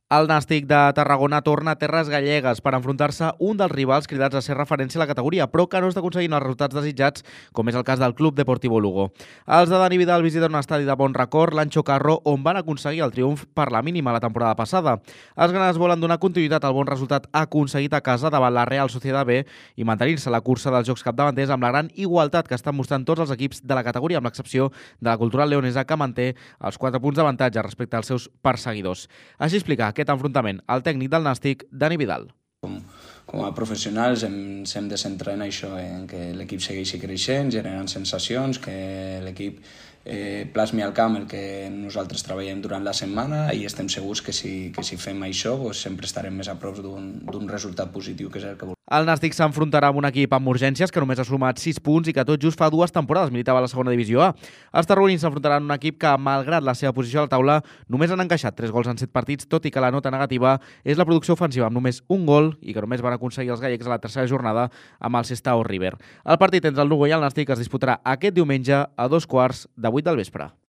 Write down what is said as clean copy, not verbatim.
El Nàstic de Tarragona torna a terres gallegues per enfrontar-se un dels rivals cridats a ser referència a la categoria, però que no està aconseguint els resultats desitjats, com és el cas del Club Deportivo Lugo. Els de Dani Vidal visiten un estadi de bon record, l'Ancho Carro, on van aconseguir el triomf per la mínima la temporada passada. Els granats volen donar continuïtat al bon resultat aconseguit a casa davant la Real Sociedad B i mantenir-se a la cursa dels jocs capdavanters amb la gran igualtat que estan mostrant tots els equips de la categoria, amb l'excepció de la Cultural Leonesa, que manté els 4 punts d'avantatge respecte als seus perseguidors. Així explica aquest enfrontament el tècnic del Nàstic, Dani Vidal. Com a professionals ens hem de centrar en això, en que l'equip segueixi creixent, generant sensacions, que l'equip plasmi al camp el que nosaltres treballem durant la setmana, i estem segurs que si fem això sempre estarem més a prop d'un resultat positiu, que és el que volem. El Nàstic s'enfrontarà amb un equip amb urgències que només ha sumat 6 punts i que tot just fa 2 temporades militava a la segona divisió A. Els tarragonins s'enfrontaran a un equip que, malgrat la seva posició a la taula, només han encaixat 3 gols en 7 partits, tot i que la nota negativa és la producció ofensiva, amb només un gol, i que només van aconseguir els gallecs a la tercera jornada amb el Sestao River. El partit entre el Lugo i el Nàstic es disputarà aquest diumenge a 2:15 del vespre.